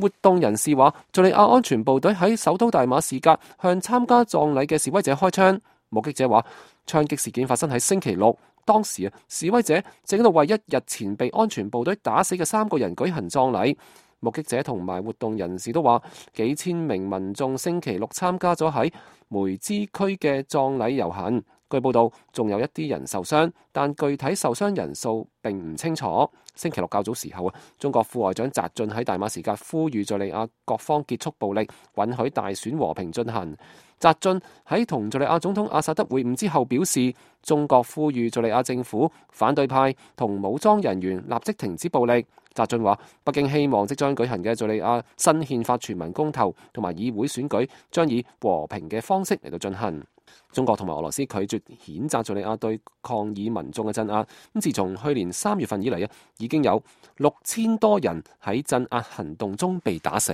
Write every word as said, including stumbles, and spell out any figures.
活動人士話，敘利亞安全部隊喺首都大馬士革向參加葬禮嘅示威者開槍。目擊者話，槍擊事件發生喺星期六，當時啊，示威者正喺度為一日前被安全部隊打死嘅三個人舉行葬禮。目擊者同埋活動人士都話，幾千名民眾星期六參加咗喺梅茲區嘅葬禮遊行。據報道，仲有一啲人受傷，但具體受傷人數並唔清楚。星期六較早時候啊，中國副外長翟雋喺大馬士革呼籲敘利亞各方結束暴力，允許大選和平進行。翟雋喺同敘利亞總統阿薩德會晤之後表示，中國呼籲敘利亞政府、反對派同武裝人員立即停止暴力。翟雋話，北京希望即將舉行嘅敘利亞新憲法全民公投同埋議會選舉將以和平嘅方式嚟到進行。中國同埋俄羅斯拒絕譴責敘利亞對抗議民眾嘅鎮壓。咁自從去年三月份以嚟啊，已經有六千多人喺鎮壓行動中被打死。